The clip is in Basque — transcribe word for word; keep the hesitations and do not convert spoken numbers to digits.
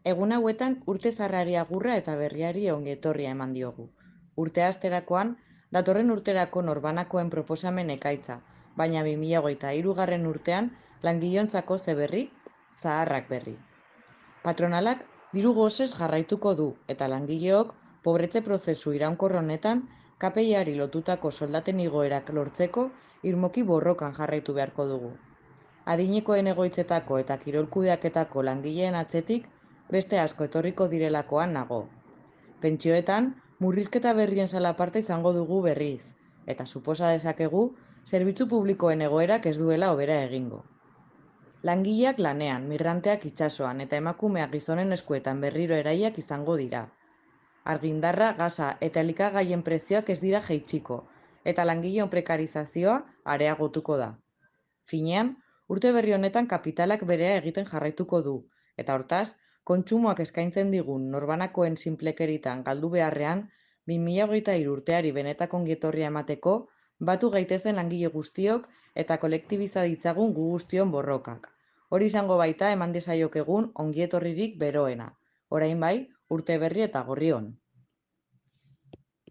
Egun hauetan urte zarrari agurra eta berriari ongi etorria eman diogu. Urte hasterakoan, datorren urterako norbanakoen proposamen ekaitza, baina bi mila hogeita hirugarren urtean langilontzako ze berri, zaharrak berri. Patronalak diru gosez jarraituko du eta langileok pobretze prozesu iraunkor honetan K P I-ari lotutako soldaten igoerak lortzeko irmoki borrokan jarraitu beharko dugu. Adinekoen egoitzetako eta kirolkudeaketako langileen atzetik beste asko etorriko direlakoan nago. Pentsioetan, murrizketa berrien salaparte izango dugu berriz, eta suposa dezakegu zerbitzu publikoen egoerak ez duela hobera egingo. Langileak lanean, migranteak itsasoan eta emakumeak gizonen eskuetan berriro eraiak izango dira. Argindarra, gasa eta elikagaien prezioak ez dira jaitsiko, eta langileon prekarizazioa areagotuko da. Finean, urte berri honetan kapitalak berea egiten jarraituko du, eta hortaz, kontsumoak eskaintzen digun norbanakoen sinplekeritan galdu beharrean, bi mila hogeita hiru urteari benetako ongietorria emateko, batu gaitezen langile guztiok eta kolektibiza ditzagun gu guztion borrokak. Hori izango baita eman dezaiokegun ongietorririk beroena. Orain bai, urte berri eta gorri on.